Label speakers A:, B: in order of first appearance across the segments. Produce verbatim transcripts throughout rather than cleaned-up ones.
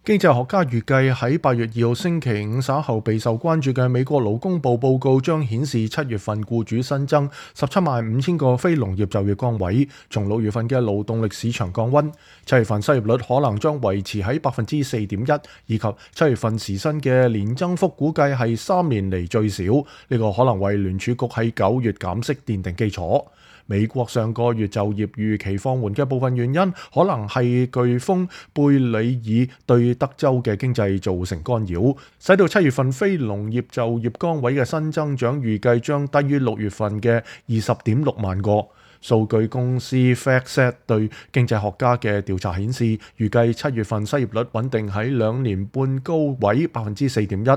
A: 經濟學家預計喺八月二號星期五稍後備受關注嘅美國勞工部報告將顯示七月份僱主新增十七萬五千個非農業就業崗位，從六月份嘅勞動力市場降溫。七月份失業率可能將維持喺百分之四點一，以及七月份時薪嘅年增幅估計係三年嚟最少，呢、這個可能為聯儲局喺九月減息奠定基礎。美國上個月就業預期放緩嘅部分原因，可能係颶風貝里爾對德州嘅經濟造成干擾，使到七月份非農業就業崗位嘅新增長預計將低於六月份嘅二十點六萬個。數據公司 FactSet 對經濟學家嘅調查顯示，預計七月份失業率穩定喺兩年半高位百分之四點一。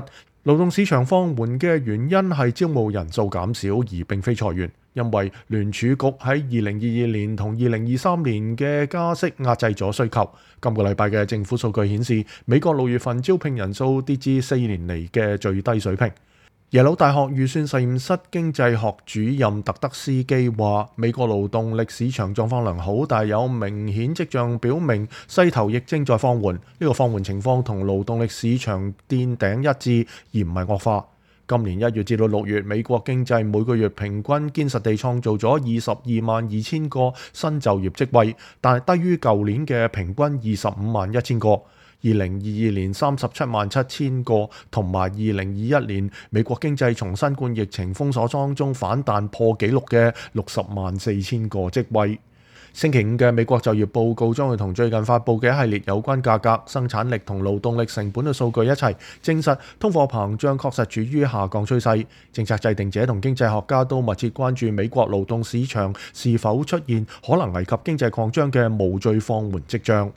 A: 勞動市場放緩嘅原因係招募人數減少，而並非裁員。因為聯儲局喺二零二二年同二零二三年嘅加息壓制咗需求。今個禮拜嘅政府數據顯示，美國六月份招聘人數跌至四年嚟嘅最低水平。耶魯大學預算實驗室經濟學主任特德斯基話，美國勞動力市場狀況良好，但有明顯跡象表明勢頭亦正在放緩。呢、這個放緩情況同勞動力市場墊頂一致，而唔係惡化。今年一月至到六月，美國經濟每個月平均堅實地創造咗二十二萬二千個新就業職位，但係低於舊年嘅平均二十五萬一千個。二零二二年三十七萬七千個，同埋二零二一年美國經濟從新冠疫情封鎖當中反彈破紀錄嘅六十萬四千個職位。星期五嘅美國就業報告將會同最近發布嘅一系列有關價格、生產力同勞動力成本嘅數據一齊證實，通貨膨脹確實處於下降趨勢。政策制定者同經濟學家都密切關注美國勞動市場是否出現可能危及經濟擴張嘅無序放緩跡象。